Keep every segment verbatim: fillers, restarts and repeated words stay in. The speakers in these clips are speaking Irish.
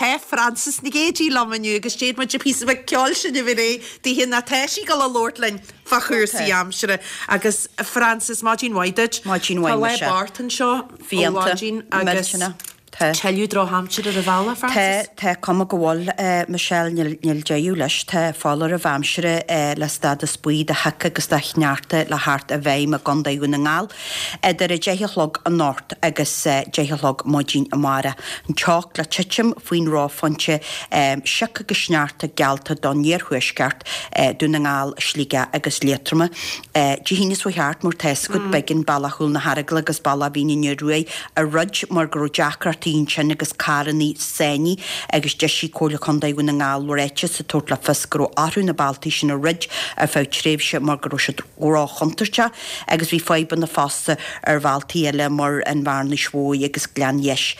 Tá Frances Nic Géadaigh liom inniu agus déanfaidh muid píosa beag ceoil sin a bhí daoithe ná tá sí ag dul a labhairt linn fá chúrsaí aimsire. Agus Frances, maidin mhaith duit. Maidin mhaith, Tá lá Michelle. bocht anseo ó Fiánta, mhaidin agus millteanach. Tá. tuilleadh drochaimsire ar an bhealach, Tá Frances? tá cuma go bhfuil eh, Michelle níl níl deireadh leis tá foláireamh aimsire eh, le stádas buí de shioc agus de shneachta le theacht i bhfeidhm i gContae Dhún na nGall idir a deich a chlog anocht agus eh, deich a chlog maidin amárach. An teocht le titim faoin reophointe eh, sioc agus sneachta geallta don iarthuaisceart eh, Dún na nGall, Sligeach agus Liatroma. Eh, Dé hAoine seo thart mar tá a fhios agat b'éigean Bealach Chúl na hEaragla agus Bealach Mhín an Fhir Ruaidh a dhruid mar go raibh deacrachtaí ansin agus carranna sáinnithe agus d'eisigh Comhairle Contae Dhún na nGall ráiteas ag tabhairt le fios go raibh orthu na bealtaí sin a dhruid ar feadh tréimhse mar go raibh siad róchontúirteach agus bhí fadhbanna fosta ar bhealtaí eile mar an Bhearnais Mhóir agus Gleann Dheis.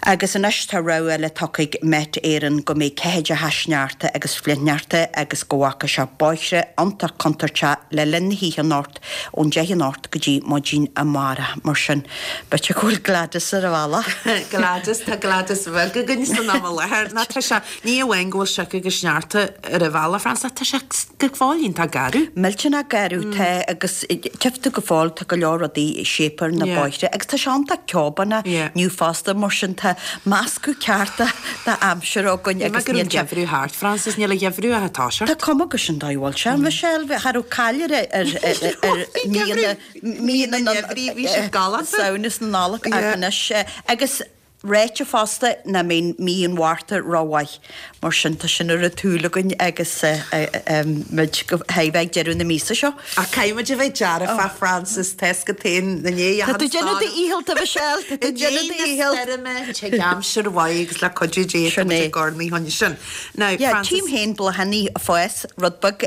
Agus anois tá rabhadh eile tugtha ag Met Éireann go mbeidh ceathaideacha sneachta agus flichshneachta agus go bhfágfaidh sé bóithre iontach contúirteach le linn na hoíche anocht ón deich anocht go dtí maidin amárach mar sin. B'fhéidir go bhfuil Gladys ar an bhealach. Gladys tá Gladys bheag againn san am i láthair ná tá sé ní amháin go bhfuil sioc agus sneachta ar an bhealach Frances tá sé go fóill iontach garbh. Millteanach garbh tá agus tifta go fóill tá go leor rudaí séipéir na Yeah. bóithre agus tá sé iontach ceobanna Yeah. inniu fosta mar sin tá meascadh ceart de aimsir againn Agus agus gur níl an sé- geimhreadh thart Frances níl a gheimhreadh a tá Tá cuma go sin dóibh sé Michelle cha raibh caiir ar ar míonna míonna na geimhridh, bhí siad galánta. Samhnas na Nollag Yeah. anois agus ráite fosta nach mbeidh mí an Mhárta rómhaith mar sin tá sin ar an tsúil againn agus muid go bheith ag deireadh na míosa seo. A caithfimid a bheith dearfa Frances Tesca tain na né Tá tú déanamh do dhícheall Michelle, Tá tú déanamh do dhícheall. Tig aimsir mhaith agus le cuidiú Dé Sin é. gornaí chun sin. Now Ja, Frances tím féin bláthanna ag fás rud beag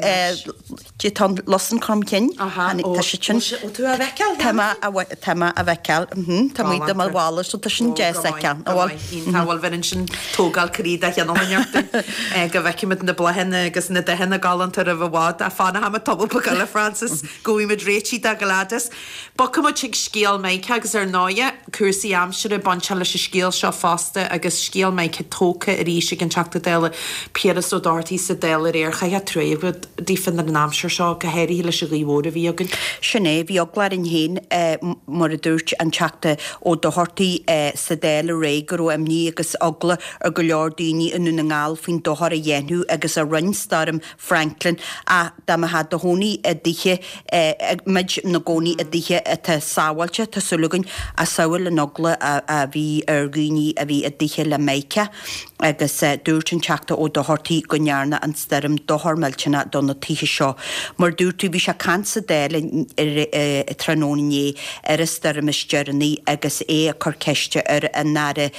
Dé tá Lus an Chrom Cinn Aha, tá sé sin. Ó tú a bhfeiceáil? Tá mé a bhe- tá mé a bhfeiceáil, mhm, tá muid do mo bhála so tá sin deas feiceáil. Tá bhfuil bhinn sin tógáil croí de cheanna go bhfeicfimid na bláthanna agus na dathanna galánta roimh i bhfad a fanfaimid tamall beag eile Frances go bhfuimid réitithe do Gladys. Bogfaimid chuig scéal Micah agus ar ndóigh cúrsaí aimsire bainte leis an scéal seo fosta agus scéal Micah tógtha arís ag an Teachta Dála Piaras Ó Dochartaigh sa Dáil aréir chaithfeá trua daofa ar an aimsir seo go háirithe leis an ghaoth mhór a bhí againn. Sin é bhí eagla orainn féin mar a dúirt an Teachta Ó Dochartaigh sa Dáil aréir go raibh imní agus eagla ar go leor daoine i nDún na nGall faoin dochar a dhéanamh agus a rinne Stoirm Franklin a dá mbeifeá i do chónaí i dtithe muid na gcónaí i dtithe atá sábháilte tá súil againn a samhail an eagla a bhí ar dhaoine a bhí i dtithe le Micah agus dúirt an Teachta Ó Dochartaigh go ndearna an stoirm dochar millteanach do na tithe seo. Mar dúirt tú bhí sé ag caint sa Dáil tráthnóna inné ar an stoirm is deireanaí agus é ag cur ceiste ar an Aire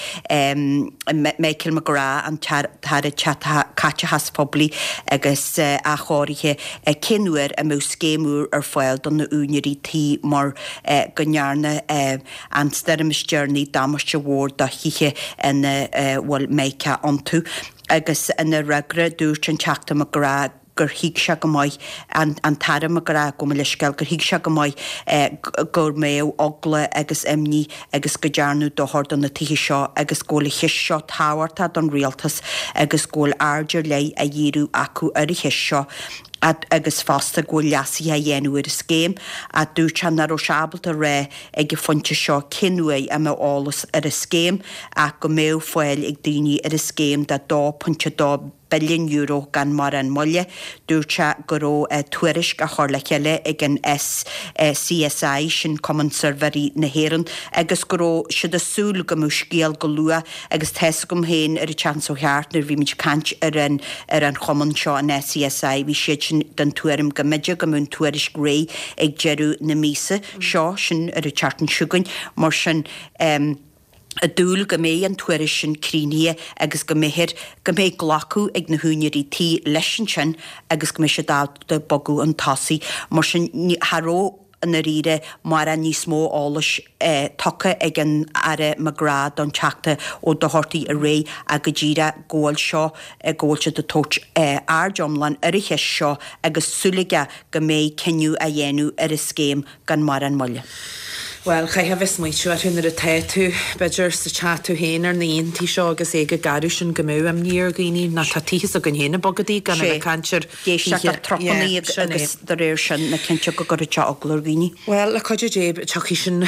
Michael McGrath an tAire Caiteachais Phoiblí agus athchóirithe cén uair a mbeadh scéim úr ar fáil do na úinéirí tí mar go ndearna an stoirm is deireanaí damáiste mhór do thithe ina bhfuil Micah iontu. agus ina fhreagra dúirt an Teachta McGrath gur thuig sé go maith an, an tAire McGrath go leisceil gur thuig sé go maith eh, gur mbeadh eagla agus imní agus go ndearnadh dochar do na tithe seo agus go bhfuil an cheist seo tábhachtach don rialtas agus go bhfuil aird ar leith á dhíriú acu ar an cheist seo agus fosta go bhfuil leasuithe á dhéanamh ar an scéim a dúirt sé nach raibh sé ábalta rá ag an phointe seo cén uair a mbeadh eolas ar an scéim ach go mbeadh fáil ag daoine ar an scéim de dó pointe dó billiún euro gan mórán moille. Dúirt sé go raibh tuairisc á chur le chéile ag an SCSI sin Cumann Suirbhéirí na hÉireann agus go raibh siad ag súil go mbeadh scéal go luath agus tá a fhios agam féin ar an tseachtain seo thart nuair bhí muid caint ar an ar an chumann seo an SCSI bhí siad sin den tuairim go mb'fhéidir go mbeadh an tuairisc réidh ag deireadh na míosa seo sin ar an tseachtain seo chugainn mar sin um, ag dúil go mbeidh an tuairisc sin críochnaithe agus go mbeidh go mbeidh glacadh ag na húinéirí tí leis sin agus go mbeidh siad ábalta bogadh chun tosaigh mar sin cha raibh an ríre mar an níos mó eolais eh, tugtha ag an Aire McGrath don Teachta Ó Dochartaigh aréir ach go díreach go bhfuil seo go bhfuil siad ag tabhairt eh, aird iomlán ar an cheist seo agus súil aige go mbeidh cinneadh á dhéanamh ar an scéim gan mórán moille. Bhuel, chaithfeá a bheith ag smaoitiú orthu nuair atá tú, b'fhéidir, sa teach tú féin ar na laethantaí seo agus é go garbh sin go mbeadh imní ar dhaoine ná tá tithe s'againn féin ag bogadaí gan a bheith ag caint ar Éisteacht le trupannaí agus de réir sin na cinnte go gcuirfeadh sé eagla ar dhaoine. Bhuel, le cuidiú Dé, tiocfaidh sin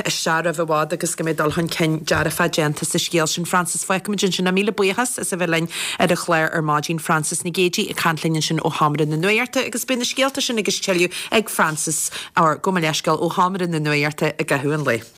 isteach roimh i bhfad agus go mbeidh dul chun cinn dearfach déanta sa scéal sin. Frances, fágfaimid ansin é. Míle buíochas as a bheith linn ar an chlár ar maidin. Frances Nic Géadaigh ag caint linn ansin ó Sheomra na Nuachta agus beidh na scéalta sin agus tuilleadh ag Frances, or gabh mo leithscéal, ó Sheomra na Nuachta i gcaitheamh an lae.